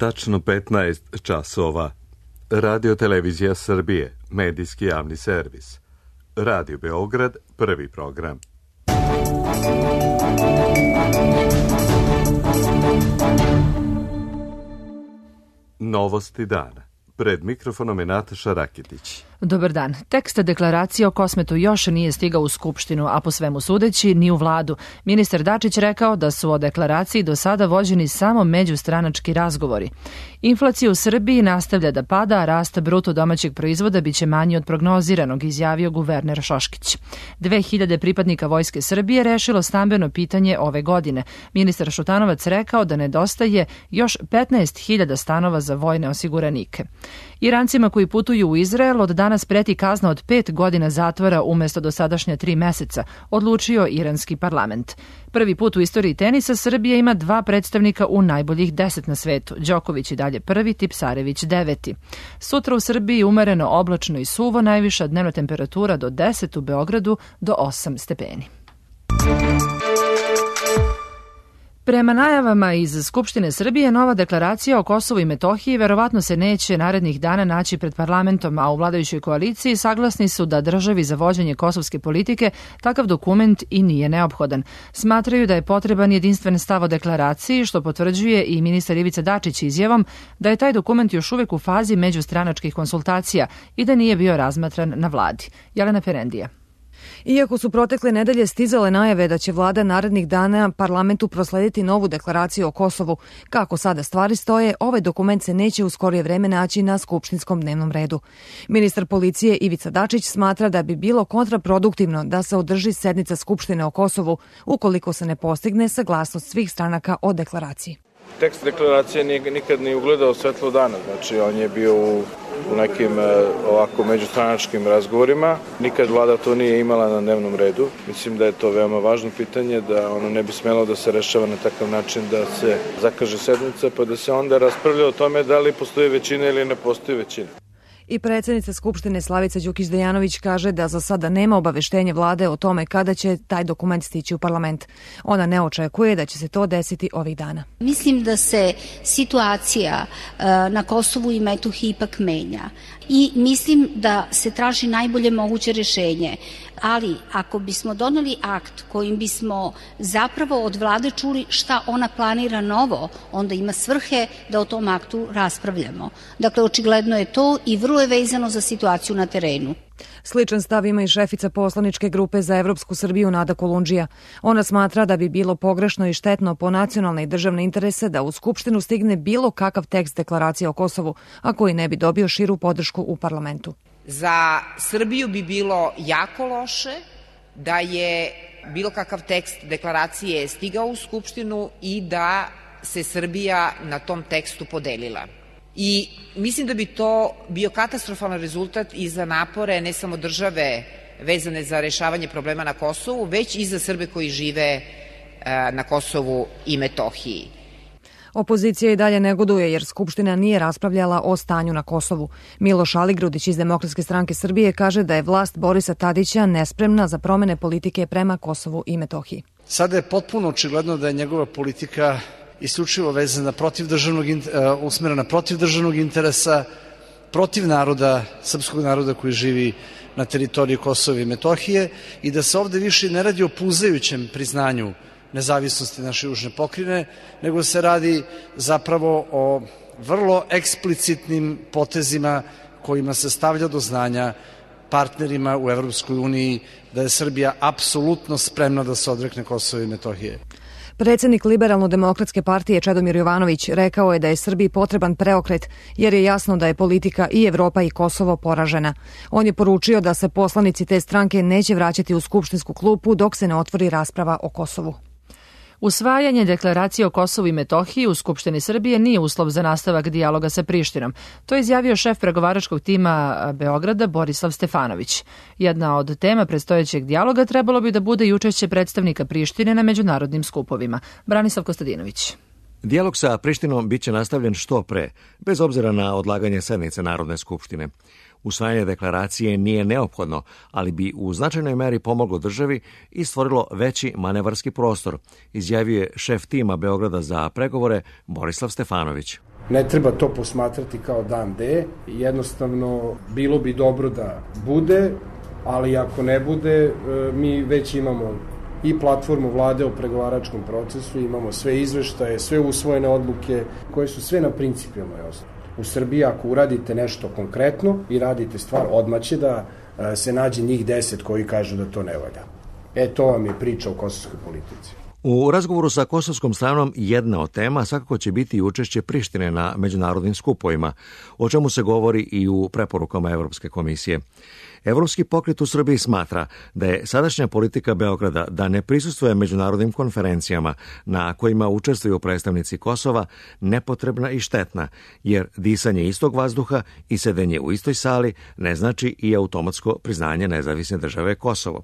tačno 15 časova. Radio Televizija Srbije, medijski javni servis. Radio Beograd, prvi program. Novosti dana. Pred mikrofonom je Nataša Rakitić. Dobar dan. Tekst deklaracije o Kosmetu još nije stigao u Skupštinu, a po svemu sudeći ni u vladu. Ministar Dačić rekao da su o deklaraciji do sada vođeni samo međustranački razgovori. Inflacija u Srbiji nastavlja da pada, a rast bruto domaćeg proizvoda biće manji od prognoziranog, izjavio guverner Šoškić. 2000 pripadnika Vojske Srbije rešilo stambeno pitanje ove godine. Ministar Šutanovac rekao da nedostaje još 15.000 stanova za vojne osiguranike. Irancima koji putuju u Izrael od danas preti kazna od 5 godina zatvora umesto dosadašnja 3 meseca, odlučio iranski parlament. Prvi put u istoriji tenisa Srbija ima 2 predstavnika u najboljih 10 na svetu. Đoković i dalje prvi, Tipsarević 9. Sutra u Srbiji umereno oblačno i suvo, najviša dnevna temperatura do 10, u Beogradu do 8 stepeni. Prema najavama iz Skupštine Srbije, nova deklaracija o Kosovu i Metohiji verovatno se neće narednih dana naći pred parlamentom, a u vladajućoj koaliciji saglasni su da državi za vođenje kosovske politike takav dokument i nije neophodan. Smatraju da je potreban jedinstven stav o deklaraciji, što potvrđuje i ministar Ivica Dačić izjavom da je taj dokument još uvek u fazi međustranačkih konsultacija i da nije bio razmatran na vladi. Jelena Perendija. Iako su protekle nedelje stizale najave da će vlada narednih dana parlamentu proslediti novu deklaraciju o Kosovu, kako sada stvari stoje, ovaj dokument se neće u skorije vreme naći na skupštinskom dnevnom redu. Ministar policije Ivica Dačić smatra da bi bilo kontraproduktivno da se održi sednica Skupštine o Kosovu ukoliko se ne postigne saglasnost svih stranaka o deklaraciji. Tekst deklaracije nikad nije ugledao svetlo dana, znači on je bio u nekim ovako međustranačkim razgovorima. Nikad vlada to nije imala na dnevnom redu. Mislim da je to veoma važno pitanje, da ono ne bi smelo da se rešava na takav način da se zakaže sednica pa da se onda raspravlja o tome da li postoji većina ili ne postoji većina. I predsjednica Skupštine Slavica Đukić-Dejanović kaže da za sada nema obaveštenje vlade o tome kada će taj dokument stići u parlament. Ona ne očekuje da će se to desiti ovih dana. Mislim da se situacija na Kosovu i Metohiji ipak menja i mislim da se traži najbolje moguće rešenje. Ali ako bismo doneli akt kojim bismo zapravo od vlade čuli šta ona planira novo, onda ima svrhe da o tom aktu raspravljamo. Dakle, očigledno je to i vrlo je vezano za situaciju na terenu. Sličan stav ima i šefica poslaničke grupe za Evropsku Srbiju Nada Kolundžija. Ona smatra da bi bilo pogrešno i štetno po nacionalne i državne interese da u Skupštinu stigne bilo kakav tekst deklaracije o Kosovu, a koji ne bi dobio širu podršku u parlamentu. Za Srbiju bi bilo jako loše da je bilo kakav tekst deklaracije stigao u Skupštinu i da se Srbija na tom tekstu podelila. I mislim da bi to bio katastrofalan rezultat i za napore ne samo države vezane za rešavanje problema na Kosovu, već i za Srbe koji žive na Kosovu i Metohiji. Opozicija i dalje negoduje jer Skupština nije raspravljala o stanju na Kosovu. Miloš Aligrudić iz Demokratske stranke Srbije kaže da je vlast Borisa Tadića nespremna za promene politike prema Kosovu i Metohiji. Sada je potpuno očigledno da je njegova politika isključivo vezana usmerena protiv državnog interesa, protiv naroda, srpskog naroda koji živi na teritoriji Kosova i Metohije i da se ovde više ne radi o puzajućem priznanju nezavisnosti naše južne pokrajine, nego se radi zapravo o vrlo eksplicitnim potezima kojima se stavlja do znanja partnerima u Evropskoj uniji da je Srbija apsolutno spremna da se odrekne Kosova i Metohije. Predsjednik Liberalno-demokratske partije Čedomir Jovanović rekao je da je Srbiji potreban preokret jer je jasno da je politika i Evropa i Kosovo poražena. On je poručio da se poslanici te stranke neće vraćati u skupštinsku klupu dok se ne otvori rasprava o Kosovu. Usvajanje deklaracije o Kosovu i Metohiji u Skupštini Srbije nije uslov za nastavak dijaloga sa Prištinom. To je izjavio šef pregovaračkog tima Beograda Borislav Stefanović. Jedna od tema predstojećeg dijaloga trebalo bi da bude i učešće predstavnika Prištine na međunarodnim skupovima. Branislav Kostadinović. Dijalog sa Prištinom biće nastavljen što pre, bez obzira na odlaganje sednice Narodne skupštine. Usvajanje deklaracije nije neophodno, ali bi u značajnoj meri pomoglo državi i stvorilo veći manevarski prostor, izjavio je šef tima Beograda za pregovore Borislav Stefanović. Ne treba to posmatrati kao dan D, jednostavno bilo bi dobro da bude, ali ako ne bude, mi već imamo i platformu vlade o pregovaračkom procesu, imamo sve izveštaje, sve usvojene odluke koje su sve na principijalnoj osnovi. U Srbiji ako uradite nešto konkretno i radite stvar, odmah će da se nađe njih 10 koji kažu da to ne valja. To vam je priča o kosovskoj politici. U razgovoru sa kosovskom stranom jedna od tema svakako će biti učešće Prištine na međunarodnim skupovima, o čemu se govori i u preporukama Evropske komisije. Evropski pokret u Srbiji smatra da je sadašnja politika Beograda da ne prisustvuje međunarodnim konferencijama na kojima učestvuju predstavnici Kosova nepotrebna i štetna, jer disanje istog vazduha i sedenje u istoj sali ne znači i automatsko priznanje nezavisne države Kosovo.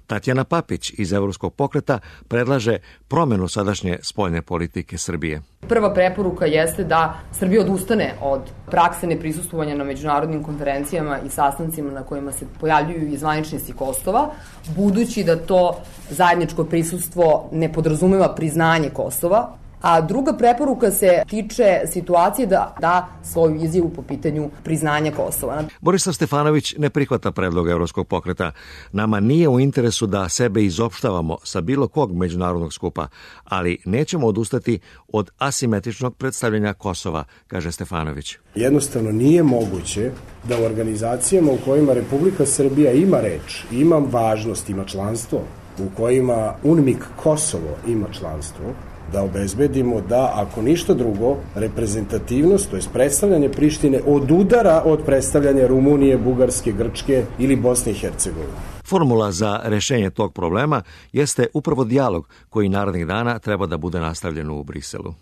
Tatjana Papić iz Evropskog pokreta predlaže promenu sadašnje spoljne politike Srbije. Prva preporuka jeste da Srbija odustane od prakse neprisustvovanja na međunarodnim konferencijama i sastancima na kojima se pojavljuju i zvaničnici Kosova, budući da to zajedničko prisustvo ne podrazumeva priznanje Kosova. A druga preporuka se tiče situacije da da svoju izjavu po pitanju priznanja Kosova. Borislav Stefanović ne prihvata predlog Evropskog pokreta. Nama nije u interesu da sebe izopštavamo sa bilo kog međunarodnog skupa, ali nećemo odustati od asimetričnog predstavljanja Kosova, kaže Stefanović. Jednostavno nije moguće da u organizacijama u kojima Republika Srbija ima reč, ima važnost, ima članstvo, u kojima UNMIK Kosovo ima članstvo, da obezbedimo da, ako ništa drugo, reprezentativnost, to je predstavljanje Prištine, odudara od predstavljanja Rumunije, Bugarske, Grčke ili Bosne i Hercegovine. Formula za rešenje tog problema jeste upravo dijalog koji narednih dana treba da bude nastavljen u Briselu.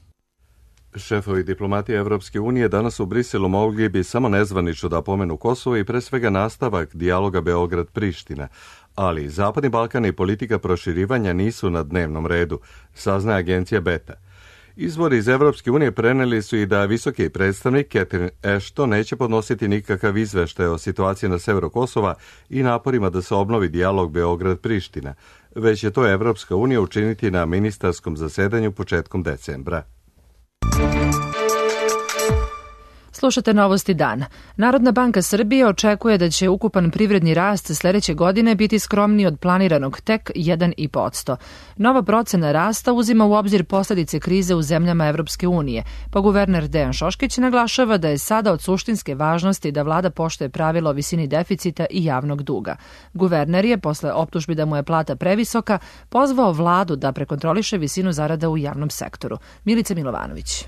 Šefovi diplomatije Evropske unije danas u Briselu mogli bi samo nezvanično da pomenu Kosovo i pre svega nastavak dijaloga Beograd-Priština, ali Zapadni Balkan i politika proširivanja nisu na dnevnom redu, saznaje agencija Beta. Izvori iz Evropske unije preneli su i da visoki predstavnik Catherine Ashton neće podnositi nikakav izveštaj o situaciji na severu Kosova i naporima da se obnovi dijalog Beograd-Priština, već je to Evropska unija učiniti na ministarskom zasedanju početkom decembra. Slušate Novosti dana. Narodna banka Srbije očekuje da će ukupan privredni rast sledeće godine biti skromniji od planiranog, tek 1,5%. Nova procena rasta uzima u obzir posledice krize u zemljama Evropske unije, pa guverner Dejan Šoškić naglašava da je sada od suštinske važnosti da vlada poštuje pravilo o visini deficita i javnog duga. Guverner je, posle optužbi da mu je plata previsoka, pozvao vladu da prekontroliše visinu zarada u javnom sektoru. Milica Milovanović.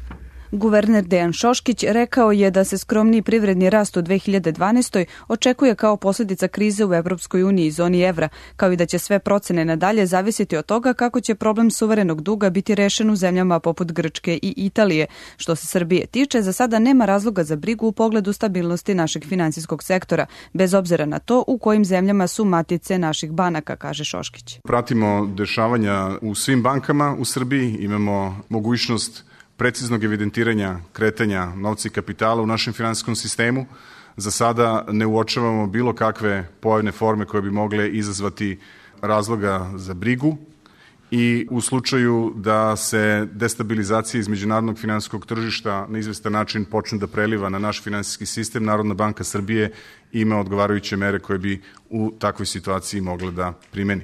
Guverner Dejan Šoškić rekao je da se skromniji privredni rast u 2012. očekuje kao posljedica krize u Evropskoj uniji i zoni evra, kao i da će sve procene nadalje zavisiti od toga kako će problem suverenog duga biti rešen u zemljama poput Grčke i Italije. Što se Srbije tiče, za sada nema razloga za brigu u pogledu stabilnosti našeg finansijskog sektora, bez obzira na to u kojim zemljama su matice naših banaka, kaže Šoškić. Pratimo dešavanja u svim bankama u Srbiji, imamo mogućnost preciznog evidentiranja kretanja novca i kapitala u našem finansijskom sistemu. Za sada ne uočavamo bilo kakve pojavne forme koje bi mogle izazvati razloga za brigu i u slučaju da se destabilizacija iz međunarodnog finansijskog tržišta na izvestan način počne da preliva na naš finansijski sistem, Narodna banka Srbije ima odgovarajuće mere koje bi u takvoj situaciji mogle da primeni.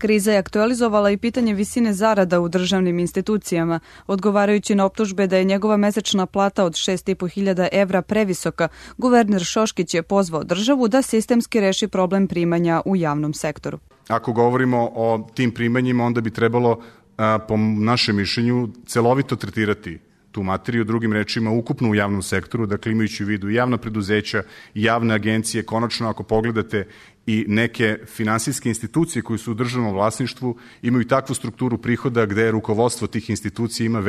Kriza je aktualizovala i pitanje visine zarada u državnim institucijama, odgovarajući na optužbe da je njegova mesečna plata od 6.500 evra previsoka. Guverner Šoškić je pozvao državu da sistemski reši problem primanja u javnom sektoru. Ako govorimo o tim primanjima, onda bi trebalo, po našem mišljenju, celovito tretirati tu materiju, drugim rečima ukupno u javnom sektoru, dakle imajući u vidu javna preduzeća, javne agencije. Konačno, ako pogledate i neke finansijske institucije koje su u državnom vlasništvu imaju takvu strukturu prihoda gde rukovodstvo tih institucija ima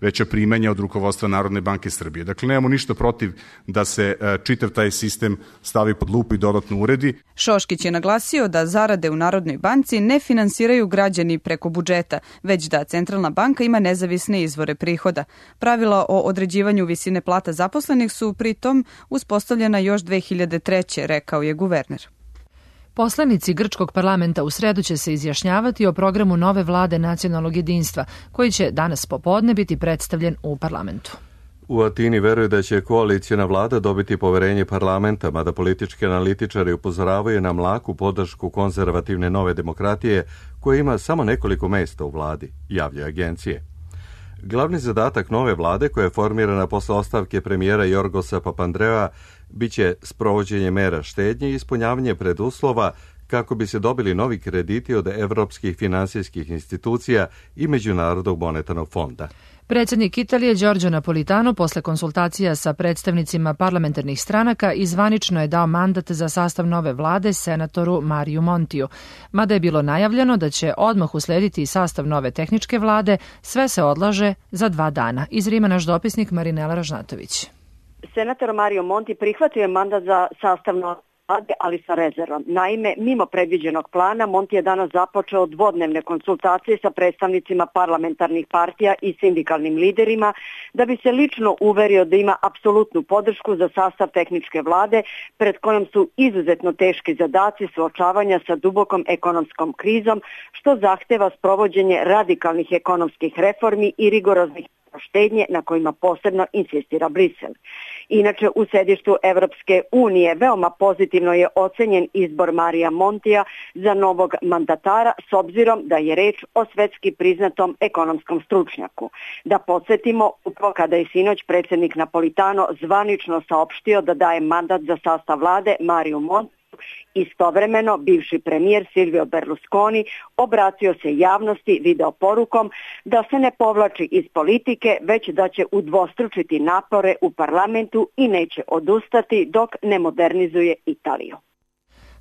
veća primanja od rukovodstva Narodne banke Srbije. Dakle, nemamo ništa protiv da se čitav taj sistem stavi pod lupu i dodatno uredi. Šoškić je naglasio da zarade u Narodnoj banci ne finansiraju građani preko budžeta, već da Centralna banka ima nezavisne izvore prihoda. Pravila o određivanju visine plata zaposlenih su pritom uspostavljena još 2003. rekao je guverner. Poslanici grčkog parlamenta u sredu će se izjašnjavati o programu nove vlade nacionalnog jedinstva, koji će danas popodne biti predstavljen u parlamentu. U Atini veruje da će koalicijna vlada dobiti poverenje parlamenta, mada politički analitičari upozoravaju na mlaku podršku konzervativne nove demokratije, koja ima samo nekoliko mesta u vladi, javljaju agencije. Glavni zadatak nove vlade, koja je formirana posle ostavke premijera Jorgosa Papandreua, biće sprovođenje mera štednje i ispunjavanje preduslova kako bi se dobili novi krediti od evropskih finansijskih institucija i Međunarodnog monetarnog fonda. Predsjednik Italije Giorgio Napolitano posle konsultacija sa predstavnicima parlamentarnih stranaka izvanično je dao mandat za sastav nove vlade senatoru Mariju Montiju. Mada je bilo najavljeno da će odmah uslediti i sastav nove tehničke vlade, sve se odlaže za 2 dana. Iz Rima naš dopisnik Marinela Ražnatović. Senator Mario Monti prihvatio je mandat za sastav nove vlade, ali sa rezervom. Naime, mimo predviđenog plana, Monti je danas započeo dvodnevne konsultacije sa predstavnicima parlamentarnih partija i sindikalnim liderima da bi se lično uverio da ima apsolutnu podršku za sastav tehničke vlade pred kojom su izuzetno teški zadaci suočavanja sa dubokom ekonomskom krizom, što zahteva sprovođenje radikalnih ekonomskih reformi i rigoroznih štednje na kojima posebno insistira Brisel. Inače, u sedištu Evropske unije veoma pozitivno je ocenjen izbor Marija Montija za novog mandatara s obzirom da je reč o svetski priznatom ekonomskom stručnjaku. Da podsjetimo, upravo kada je sinoć predsjednik Napolitano zvanično saopštio da daje mandat za sastav vlade Mariju Montiju, istovremeno bivši premijer Silvio Berlusconi obratio se javnosti video porukom da se ne povlači iz politike, već da će udvostručiti napore u parlamentu i neće odustati dok ne modernizuje Italiju.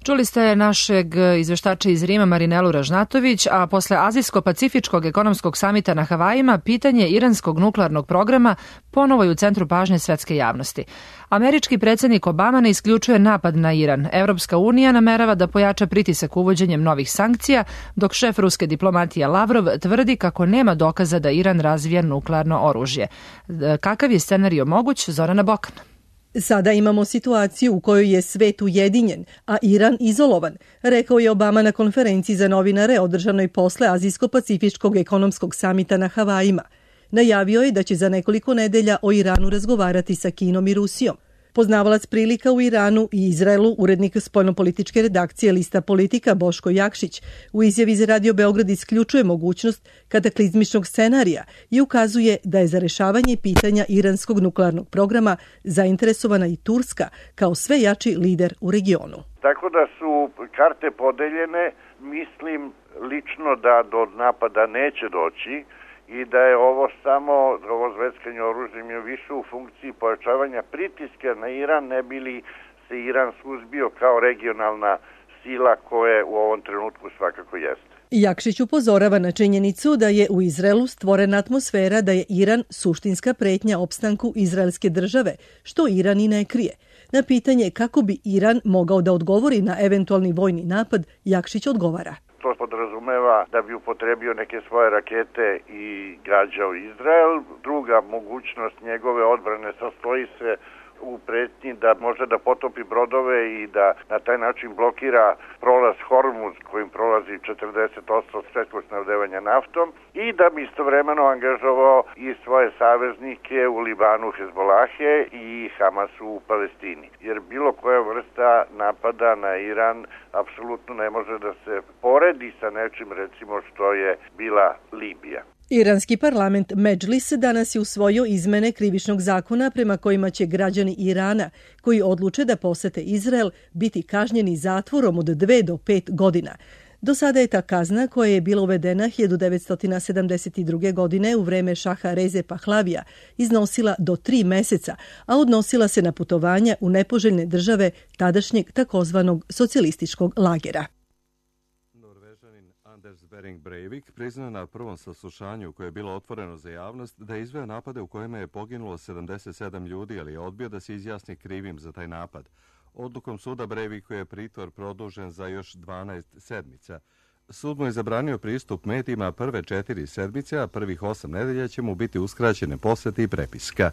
Čuli ste našeg izveštača iz Rima Marinelu Ražnatović, a posle Azijsko-Pacifičkog ekonomskog samita na Havajima pitanje iranskog nuklearnog programa ponovo je u centru pažnje svetske javnosti. Američki predsjednik Obama ne isključuje napad na Iran. Evropska unija namerava da pojača pritisak uvođenjem novih sankcija, dok šef ruske diplomatije Lavrov tvrdi kako nema dokaza da Iran razvija nuklearno oružje. Kakav je scenario moguć? Zorana Bokan. Sada imamo situaciju u kojoj je svet ujedinjen, a Iran izolovan, rekao je Obama na konferenciji za novinare održanoj posle Azijsko-Pacifičkog ekonomskog samita na Havajima. Najavio je da će za nekoliko nedelja o Iranu razgovarati sa Kinom i Rusijom. Poznavalac prilika u Iranu i Izraelu, urednik spoljnopolitičke redakcije Lista Politika Boško Jakšić, u izjavi za Radio Beograd isključuje mogućnost kataklizmičnog scenarija i ukazuje da je za rešavanje pitanja iranskog nuklearnog programa zainteresovana i Turska kao sve jači lider u regionu. Tako da su karte podeljene, mislim lično da do napada neće doći i da je ovo zveckanje oružjem je više u funkciji pojačavanja pritiska na Iran, ne bi li se Iran suzbio kao regionalna sila koje u ovom trenutku svakako jeste. Jakšić upozorava na činjenicu da je u Izraelu stvorena atmosfera da je Iran suštinska pretnja opstanku izraelske države, što Iran i ne krije. Na pitanje kako bi Iran mogao da odgovori na eventualni vojni napad, Jakšić odgovara. To podrazumeva da bi upotrebio neke svoje rakete i gađao Izrael. Druga mogućnost njegove odbrane sastoji se u pretnji da može da potopi brodove i da na taj način blokira prolaz Hormuz kojim prolazi 40% svetskog snabdevanja naftom i da bi istovremeno angažovao i svoje saveznike u Libanu Hezbolahe i Hamasu u Palestini. Jer bilo koja vrsta napada na Iran apsolutno ne može da se poredi sa nečim recimo što je bila Libija. Iranski parlament Medžlis danas je usvojio izmene krivičnog zakona prema kojima će građani Irana koji odluče da posete Izrael biti kažnjeni zatvorom od 2 do 5 godina. Do sada je ta kazna, koja je bila uvedena 1972. godine u vreme šaha Reze Pahlavija, iznosila do 3 meseca, a odnosila se na putovanja u nepoželjne države tadašnjeg takozvanog socijalističkog lagera. Anders Behring Breivik priznao na prvom saslušanju koje je bilo otvoreno za javnost da je izveo napade u kojima je poginulo 77 ljudi, ali je odbio da se izjasni krivim za taj napad. Odlukom suda Breiviku je pritvor produžen za još 12 sedmica. Sud mu je zabranio pristup medijima prve 4 sedmice, a prvih 8 nedelja će mu biti uskraćene posete i prepiska.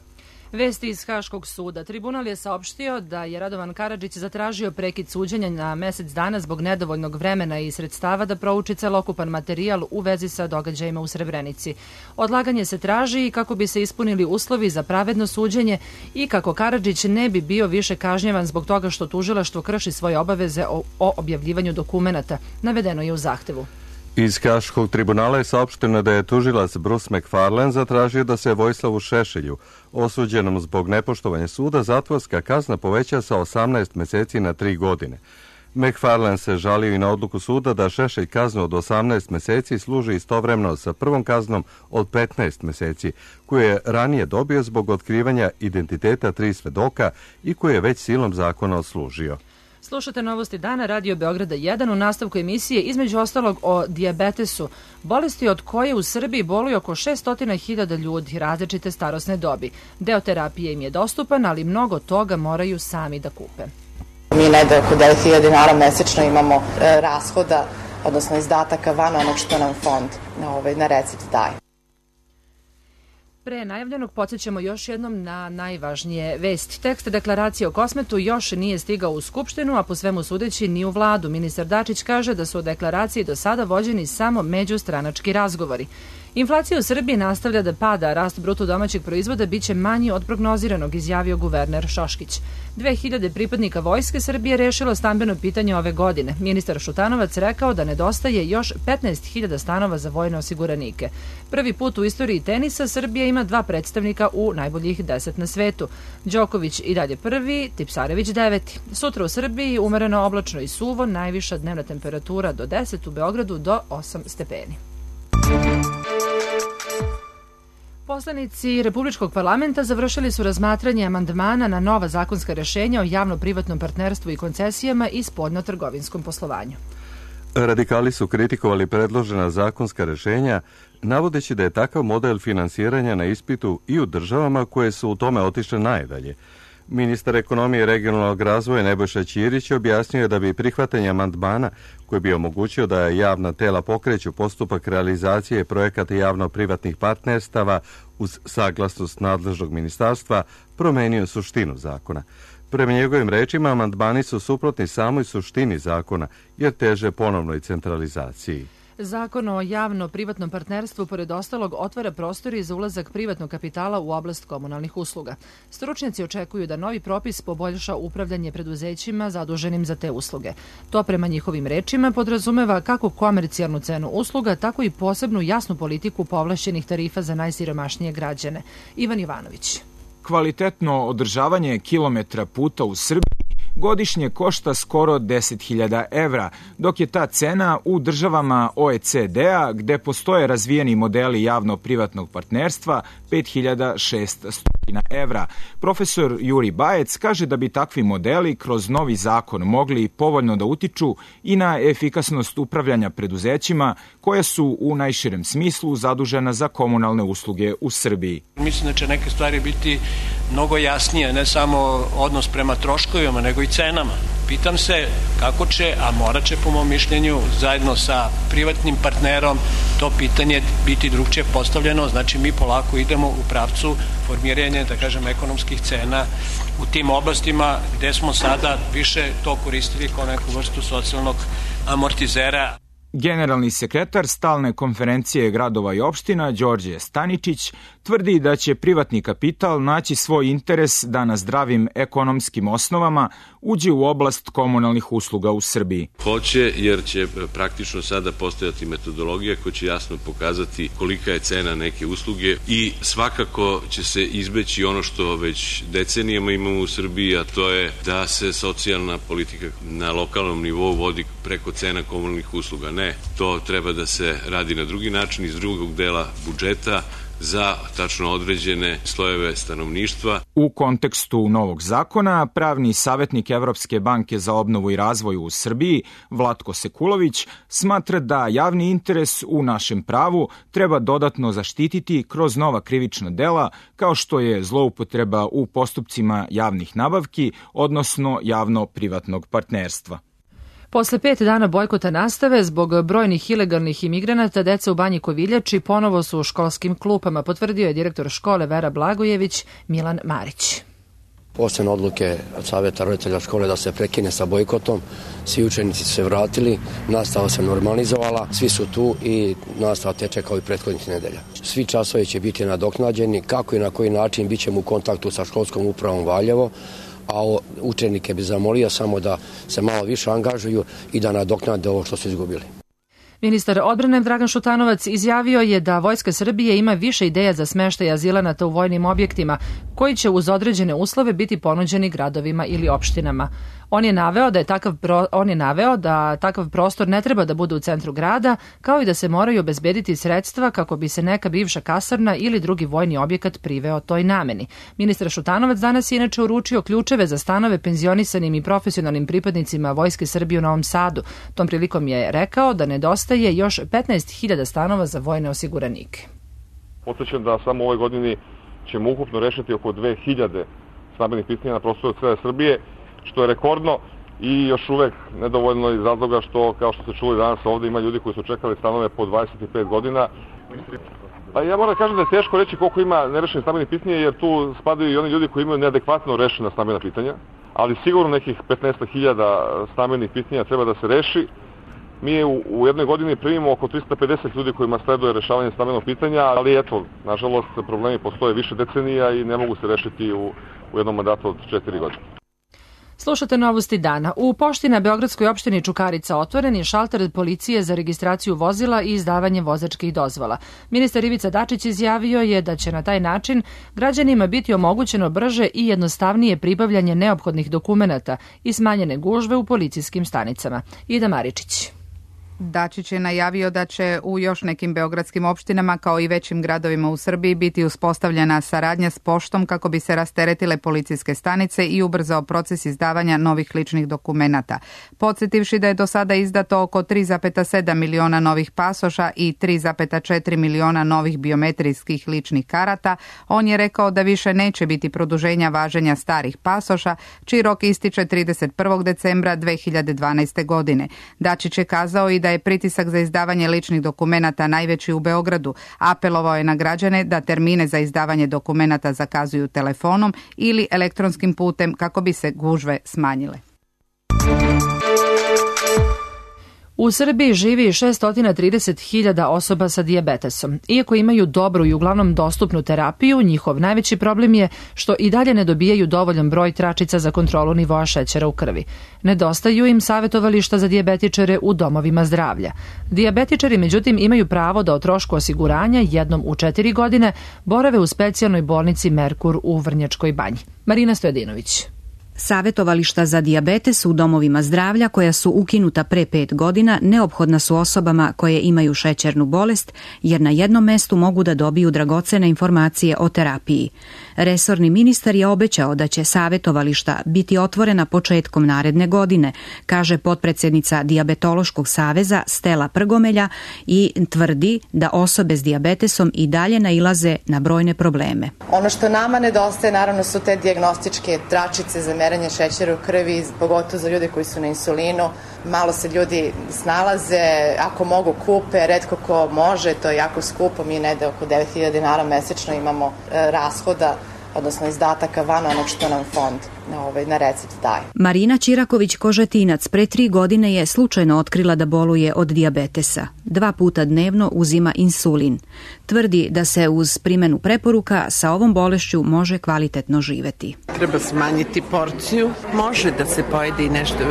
Vesti iz Haškog suda. Tribunal je saopštio da je Radovan Karadžić zatražio prekid suđenja na mesec dana zbog nedovoljnog vremena i sredstava da prouči celokupan materijal u vezi sa događajima u Srebrenici. Odlaganje se traži i kako bi se ispunili uslovi za pravedno suđenje i kako Karadžić ne bi bio više kažnjavan zbog toga što tužilaštvo krši svoje obaveze o objavljivanju dokumenata, navedeno je u zahtevu. Iz Haškog tribunala je saopšteno da je tužilac Bruce McFarlane zatražio da se Vojislavu Šešelju, osuđenom zbog nepoštovanja suda, zatvorska kazna poveća sa 18 meseci na 3 godine. McFarlane se žalio i na odluku suda da Šešelj kaznu od 18 meseci služi istovremeno sa prvom kaznom od 15 meseci, koju je ranije dobio zbog otkrivanja identiteta 3 svedoka i koju je već silom zakona odslužio. Slušate Novosti dana, Radio Beograda 1, u nastavku emisije između ostalog o dijabetesu, bolesti od koje u Srbiji boluje oko 600.000 ljudi različite starosne dobi. Deo terapije im je dostupan, ali mnogo toga moraju sami da kupe. Mi negde oko 9.000 dinara mesečno imamo rashoda, odnosno izdataka van onog što nam fond na recept daje. Pre najavljenog podsjećamo još jednom na najvažnije vesti. Tekst deklaracije o Kosmetu još nije stigao u Skupštinu, a po svemu sudeći ni u vladu. Ministar Dačić kaže da su o deklaraciji do sada vođeni samo međustranački razgovori. Inflacija u Srbiji nastavlja da pada, a rast bruto domaćeg proizvoda biće manji od prognoziranog, izjavio guverner Šoškić. 2000 pripadnika Vojske Srbije rešilo stambeno pitanje ove godine. Ministar Šutanovac rekao da nedostaje još 15.000 stanova za vojne osiguranike. Prvi put u istoriji tenisa Srbija ima 2 predstavnika u najboljih 10 na svetu. Đoković i dalje prvi, Tipsarević 9. Sutra u Srbiji umereno oblačno i suvo, najviša dnevna temperatura do 10, u Beogradu do 8 stepeni. Poslanici Republičkog parlamenta završili su razmatranje amandmana na nova zakonska rešenja o javno-privatnom partnerstvu i koncesijama i spoljno-trgovinskom poslovanju. Radikali su kritikovali predložena zakonska rešenja, navodeći da je takav model finansiranja na ispitu i u državama koje su u tome otišle najdalje. Ministar ekonomije i regionalnog razvoja Nebojša Ćirić objasnio je da bi prihvatanje amandmana, koji bi omogućio da javna tela pokreću postupak realizacije projekata javno-privatnih partnerstava uz saglasnost nadležnog ministarstva, promenio suštinu zakona. Prema njegovim rečima, amandmani su suprotni samoj suštini zakona, jer teže ponovnoj centralizaciji. Zakon o javno-privatnom partnerstvu, pored ostalog, otvara prostori za ulazak privatnog kapitala u oblast komunalnih usluga. Stručnjaci očekuju da novi propis poboljša upravljanje preduzećima zaduženim za te usluge. To, prema njihovim rečima, podrazumeva kako komercijalnu cenu usluga, tako i posebnu jasnu politiku povlašćenih tarifa za najsiromašnije građane. Ivan Ivanović. Kvalitetno održavanje kilometra puta u Srbiji godišnje košta skoro 10.000 evra, dok je ta cena u državama OECD-a, gde postoje razvijeni modeli javno-privatnog partnerstva, 5.600 evra. Profesor Juri Bajec kaže da bi takvi modeli kroz novi zakon mogli povoljno da utiču i na efikasnost upravljanja preduzećima koja su u najširem smislu zadužena za komunalne usluge u Srbiji. Mislim da će neke stvari biti mnogo jasnije, ne samo odnos prema troškovima, nego i cenama. Pitam se kako će, a morat će po mom mišljenju, zajedno sa privatnim partnerom to pitanje biti drugčije postavljeno. Znači mi polako idemo u pravcu formiranja, da kažem, ekonomskih cena u tim oblastima gde smo sada više to koristili kao neku vrstu socijalnog amortizera. Generalni sekretar Stalne konferencije gradova i opština Đorđe Staničić tvrdi da će privatni kapital naći svoj interes da na zdravim ekonomskim osnovama uđe u oblast komunalnih usluga u Srbiji. Hoće, jer će praktično sada postojati metodologija koja će jasno pokazati kolika je cena neke usluge i svakako će se izbeći ono što već decenijama imamo u Srbiji, a to je da se socijalna politika na lokalnom nivou vodi preko cena komunalnih usluga. Ne, to treba da se radi na drugi način iz drugog dela budžeta za tačno određene slojeve stanovništva. U kontekstu novog zakona, pravni savjetnik Evropske banke za obnovu i razvoj u Srbiji, Vlatko Sekulović, smatra da javni interes u našem pravu treba dodatno zaštititi kroz nova krivična dela, kao što je zloupotreba u postupcima javnih nabavki, odnosno javno-privatnog partnerstva. Posle 5 dana bojkota nastave, zbog brojnih ilegalnih imigranata, deca u Banji Koviljači ponovo su u školskim klupama, potvrdio je direktor škole Vera Blagojević Milan Marić. Posle odluke od savjeta roditelja škole da se prekine sa bojkotom, svi učenici su se vratili, nastava se normalizovala, svi su tu i nastava teče kao i prethodnih nedelja. Svi časovi će biti nadoknađeni, kako i na koji način bit ćemo u kontaktu sa školskom upravom Valjevo, a učenike bi zamolio samo da se malo više angažuju i da nadoknade ovo što su izgubili. Ministar odbrane Dragan Šutanovac izjavio je da Vojska Srbije ima više ideja za smeštaj azilanata u vojnim objektima, koji će uz određene uslove biti ponuđeni gradovima ili opštinama. On je naveo da takav prostor ne treba da bude u centru grada, kao i da se moraju obezbediti sredstva kako bi se neka bivša kasarna ili drugi vojni objekat priveo toj nameni. Ministar Šutanovac danas je inače uručio ključeve za stanove penzionisanim i profesionalnim pripadnicima Vojske Srbije u Novom Sadu. Tom prilikom je rekao da nedostaje još 15.000 stanova za vojne osiguranike. Podsećam da samo u ovoj godini ćemo ukupno rešiti oko 2000 stambenih pitanja na prostoru cele Srbije, što je rekordno i još uvek nedovoljno iz razloga što, kao što ste čuli danas ovde, ima ljudi koji su čekali stanove po 25 godina. Pa ja moram da kažem da je teško reći koliko ima nerešenih stambenih pitanja, jer tu spadaju i oni ljudi koji imaju neadekvatno rešena stambena pitanja, ali sigurno nekih 15.000 stambenih pitanja treba da se reši. Mi u jednoj godini primimo oko 350 ljudi kojima sleduje rešavanje stambenog pitanja, ali eto, nažalost, problemi postoje više decenija i ne mogu se rešiti u jednom mandatu od 4 godine. Slušate novosti dana. U pošti na Beogradskoj opštini Čukarica otvoren je šalter policije za registraciju vozila i izdavanje vozačkih dozvola. Ministar Ivica Dačić izjavio je da će na taj način građanima biti omogućeno brže i jednostavnije pribavljanje neophodnih dokumenata i smanjene gužve u policijskim stanicama. Ida Maričić. Dačić je najavio da će u još nekim beogradskim opštinama kao i većim gradovima u Srbiji biti uspostavljena saradnja s poštom kako bi se rasteretile policijske stanice i ubrzao proces izdavanja novih ličnih dokumenata. Podsjetivši da je do sada izdato oko 3,7 miliona novih pasoša i 3,4 miliona novih biometrijskih ličnih karata, on je rekao da više neće biti produženja važenja starih pasoša, čiji rok ističe 31. decembra 2012. godine. Dačić je kazao i da je pritisak za izdavanje ličnih dokumenata najveći u Beogradu. Apelovao je na građane da termine za izdavanje dokumenata zakazuju telefonom ili elektronskim putem kako bi se gužve smanjile. U Srbiji živi 630.000 osoba sa dijabetesom. Iako imaju dobru i uglavnom dostupnu terapiju, njihov najveći problem je što i dalje ne dobijaju dovoljan broj tračica za kontrolu nivoa šećera u krvi. Nedostaju im savjetovališta za dijabetičare u domovima zdravlja. Dijabetičari, međutim, imaju pravo da o trošku osiguranja jednom u 4 godine borave u specijalnoj bolnici Merkur u Vrnjačkoj Banji. Marina Stojadinović. Savetovališta za dijabetes u domovima zdravlja koja su ukinuta pre 5 godina neophodna su osobama koje imaju šećernu bolest, jer na jednom mestu mogu da dobiju dragocene informacije o terapiji. Resorni ministar je obećao da će savetovališta biti otvorena početkom naredne godine, kaže potpredsednica Dijabetološkog saveza Stela Prgomelja i tvrdi da osobe s dijabetesom i dalje nailaze na brojne probleme. Ono što nama nedostaje naravno su te dijagnostičke tračice za merenje šećera u krvi, pogotovo za ljude koji su na insulinu. Malo se ljudi snalaze, ako mogu kupe, retko ko može, to je jako skupo, mi negde oko 9.000 dinara mesečno imamo rashoda, odnosno izdataka van onog što nam fond na recept daje. Marina Ćiraković-Kožetinac pre 3 godine je slučajno otkrila da boluje od dijabetesa. 2 puta dnevno uzima insulin. Tvrdi da se uz primenu preporuka sa ovom bolešću može kvalitetno živeti. Treba smanjiti porciju, može da se pojede i nešto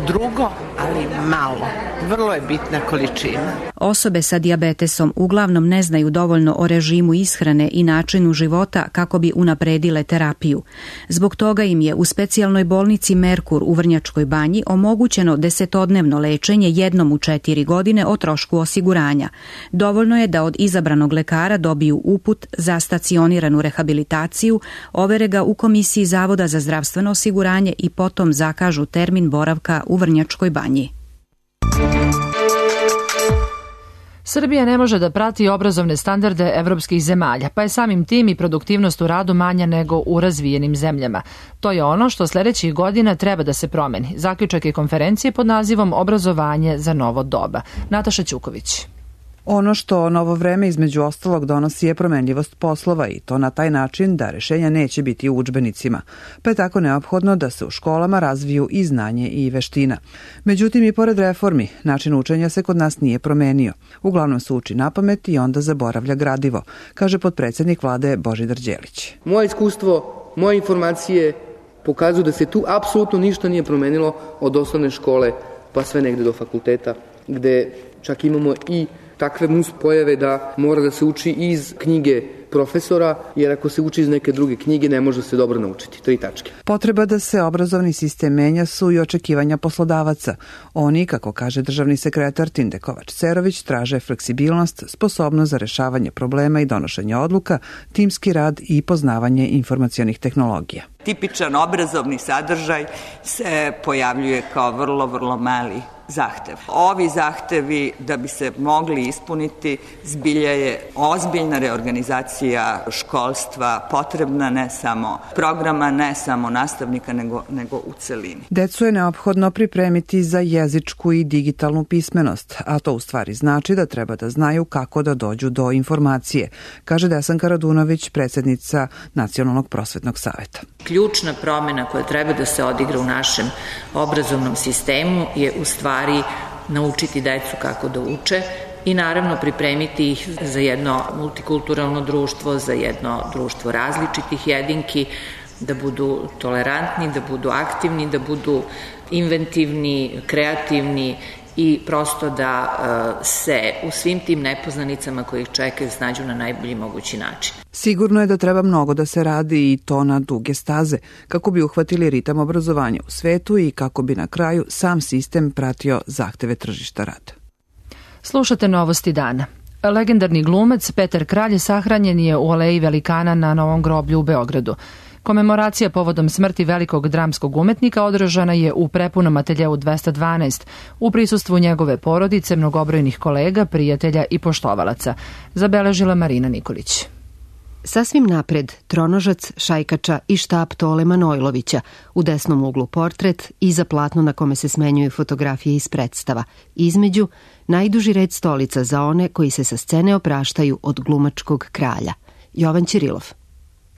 drugo, ali malo. Vrlo je bitna količina. Osobe sa dijabetesom uglavnom ne znaju dovoljno o režimu ishrane i načinu života kako bi unapredile terapiju. Zbog toga im je uz specijalnoj bolnici Merkur u Vrnjačkoj Banji omogućeno 10-dnevno lečenje jednom u 4 godine o trošku osiguranja. Dovoljno je da od izabranog lekara dobiju uput za stacioniranu rehabilitaciju, overe ga u Komisiji Zavoda za zdravstveno osiguranje i potom zakažu termin boravka u Vrnjačkoj Banji. Srbija ne može da prati obrazovne standarde evropskih zemalja, pa je samim tim i produktivnost u radu manja nego u razvijenim zemljama. To je ono što sljedećih godina treba da se promeni. Zaključak je konferencije pod nazivom Obrazovanje za novo doba. Nataša Ćuković. Ono što novo vreme između ostalog donosi je promenljivost poslova i to na taj način da rešenja neće biti u udžbenicima, pa je tako neophodno da se u školama razviju i znanje i veština. Međutim, i pored reformi, način učenja se kod nas nije promenio. Uglavnom se uči napamet i onda zaboravlja gradivo, kaže potpredsednik vlade Božidar Đelić. Moje iskustvo, moje informacije pokazuju da se tu apsolutno ništa nije promenilo od osnovne škole pa sve negde do fakulteta, gde čak imamo i takve pojave da mora da se uči iz knjige profesora, jer ako se uči iz neke druge knjige ne može se dobro naučiti. 3 tačke. Potreba da se obrazovni sistem menja su i očekivanja poslodavaca. Oni, kako kaže državni sekretar Tinde Kovač-Cerović, traže fleksibilnost, sposobnost za rešavanje problema i donošenje odluka, timski rad i poznavanje informacionih tehnologija. Tipičan obrazovni sadržaj se pojavljuje kao vrlo mali zahtev. Ovi zahtevi, da bi se mogli ispuniti, zbilja je ozbiljna reorganizacija školstva potrebna, ne samo programa, ne samo nastavnika, nego u celini. Decu je neophodno pripremiti za jezičku i digitalnu pismenost, a to u stvari znači da treba da znaju kako da dođu do informacije, kaže Desanka Radunović, predsjednica Nacionalnog prosvetnog saveta. Ključna promjena koja treba da se odigra u našem obrazovnom sistemu je u stvari naučiti decu kako da uče i naravno pripremiti ih za jedno multikulturalno društvo, za jedno društvo različitih jedinki, da budu tolerantni, da budu aktivni, da budu inventivni, kreativni i prosto da se u svim tim nepoznanicama koje ih čekaju snađu na najbolji mogući način. Sigurno je da treba mnogo da se radi i to na duge staze, kako bi uhvatili ritam obrazovanja u svetu i kako bi na kraju sam sistem pratio zahteve tržišta rada. Slušate Novosti dana. Legendarni glumac Petar Kralj sahranjen je u aleji velikana na Novom groblju u Beogradu. Komemoracija povodom smrti velikog dramskog umetnika održana je u prepunom ateljeu 212 u prisustvu njegove porodice, mnogobrojnih kolega, prijatelja i poštovalaca, zabeležila Marina Nikolić. Sasvim napred tronožac, šajkača i štap Tole Manojlovića, u desnom uglu portret, iza platno na kome se smenjuju fotografije iz predstava, između najduži red stolica za one koji se sa scene opraštaju od glumačkog kralja. Jovan Ćirilov.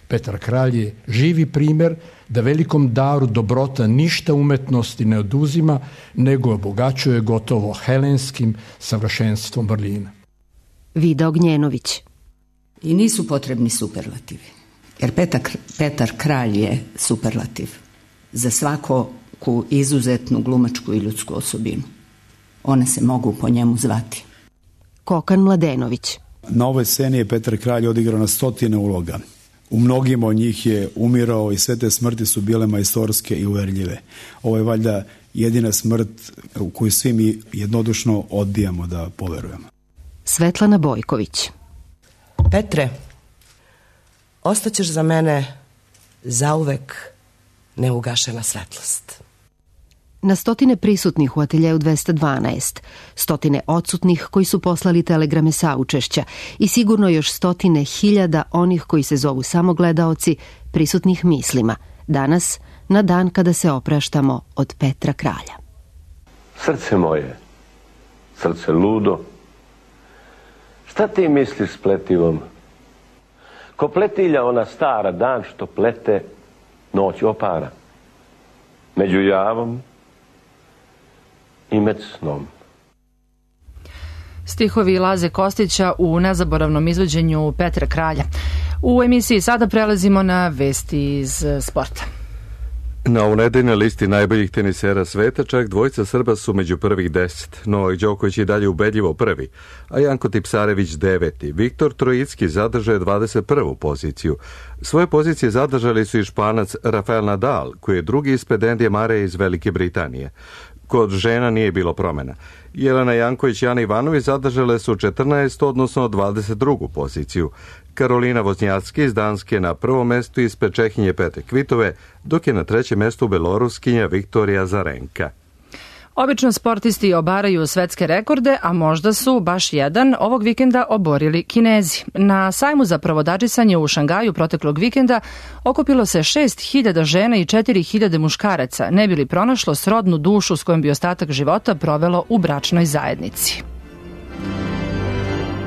Petar Kralj je živi primer da velikom daru dobrota ništa umetnosti ne oduzima, nego obogaćuje gotovo helenskim savršenstvom vrlina. Vida Ognjenović. I nisu potrebni superlativi, jer Petar Kralj je superlativ za svaku izuzetnu glumačku i ljudsku osobinu. One se mogu po njemu zvati. Kokan Mladenović. Na ovoj sceni je Petar Kralj odigrao na 100 uloga. U mnogima od njih je umirao i sve te smrti su bile majstorske i uverljive. Ovo je valjda jedina smrt u koju svi mi jednodušno odbijamo da poverujemo. Svetlana Bojković. Petre, ostaćeš za mene zauvek neugašena svetlost. Na stotine prisutnih u ateljeu 212, stotine odsutnih koji su poslali telegrame saučešća i sigurno još stotine hiljada onih koji se zovu samo gledaoci prisutnih mislima, danas na dan kada se opraštamo od Petra Kralja. Srce moje, srce ludo, šta ti misliš s pletivom? Ko pletilja ona stara dan što plete, noć opara. Među javom i med snom. Stihovi Laze Kostića u nezaboravnom izvođenju Petra Kralja. U emisiji sada prelazimo na vesti iz sporta. Na unedeljnoj listi najboljih tenisera sveta čak dvojica Srba su među prvih 10. Novak Đoković je dalje ubedljivo prvi, a Janko Tipsarević 9. Viktor Trojicki zadržao je 21. poziciju. Svoje pozicije zadržali su i Španac Rafael Nadal, koji je drugi ispred Endija Mareja iz Velike Britanije. Kod žena nije bilo promjena. Jelena Janković i Ana Ivanović zadržale su 14. odnosno 22. poziciju. Karolina Voznjacki iz Danske na prvom mestu ispred Čehinje Petre Kvitove, dok je na trećem mestu Beloruskinja Viktorija Zarenka. Obično sportisti obaraju svetske rekorde, a možda su baš jedan ovog vikenda oborili Kinezi. Na sajmu za pravodačisanje u Šangaju proteklog vikenda okupilo se 6.000 žena i 4.000 muškaraca, ne bi li pronašlo srodnu dušu s kojom bi ostatak života provelo u bračnoj zajednici.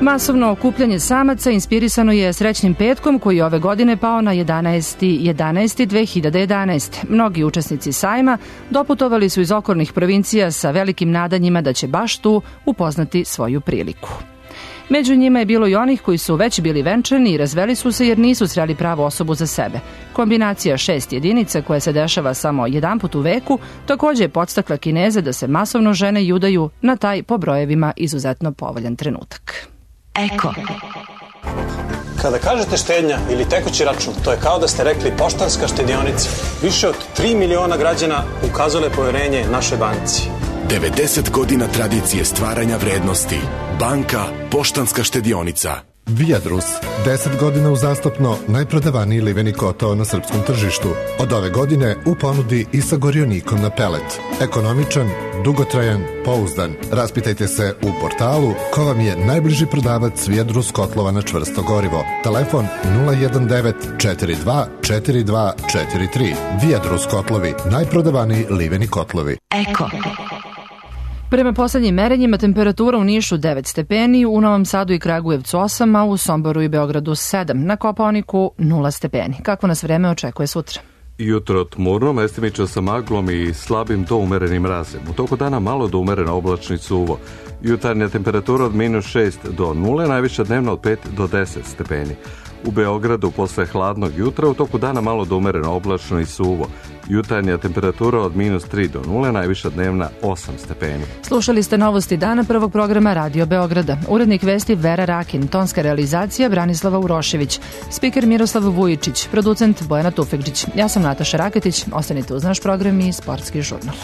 Masovno okupljanje samaca inspirisano je Srećnim petkom koji je ove godine pao na 11.11.2011. Mnogi učesnici sajma doputovali su iz okolnih provincija sa velikim nadanjima da će baš tu upoznati svoju priliku. Među njima je bilo i onih koji su već bili venčani i razveli su se jer nisu sreli pravu osobu za sebe. Kombinacija 6 jedinica koja se dešava samo jedanput u veku također je podstakla Kineze da se masovno žene i udaju na taj po brojevima izuzetno povoljan trenutak. Eko. Kada kažete štednja ili tekući račun, to je kao da ste rekli Poštanska štedionica. Više od 3 miliona građana ukazale poverenje našoj banci. 90 godina tradicije stvaranja vrednosti. Banka Poštanska štedionica. Viadrus, 10 godina uzastopno najprodavaniji liveni kotao na srpskom tržištu. Od ove godine u ponudi i sa gorionikom na pelet. Ekonomičan, dugotrajan, pouzdan. Raspitajte se u portalu ko vam je najbliži prodavac Viadrus kotlova na čvrsto gorivo. Telefon 019 42 42 43. Viadrus kotlovi, najprodavaniji liveni kotlovi. Eko. Prema poslednjim merenjima temperatura u Nišu 9 stepeni, u Novom Sadu i Kragujevcu 8, a u Somboru i Beogradu 7, na Kopaoniku 0 stepeni. Kako nas vreme očekuje sutra? Jutro tmurno, mestimično sa maglom i slabim do umerenim mrazem. U toku dana malo do umerena oblačni suvo. Jutarnja temperatura od -6 do 0, najviša dnevna od 5 do 10 stepeni. U Beogradu posle hladnog jutra u toku dana malo do umereno oblačno i suvo. Jutarnja temperatura od -3 do 0, najviša dnevna 8 stepeni. Slušali ste novosti dana prvog programa Radio Beograda. Urednik vesti Vera Rakin, tonska realizacija Branislava Urošević, spiker Miroslav Vujičić, producent Bojana Tufekđić. Ja sam Nataša Raketić, ostanite uz naš program i Sportski žurnal.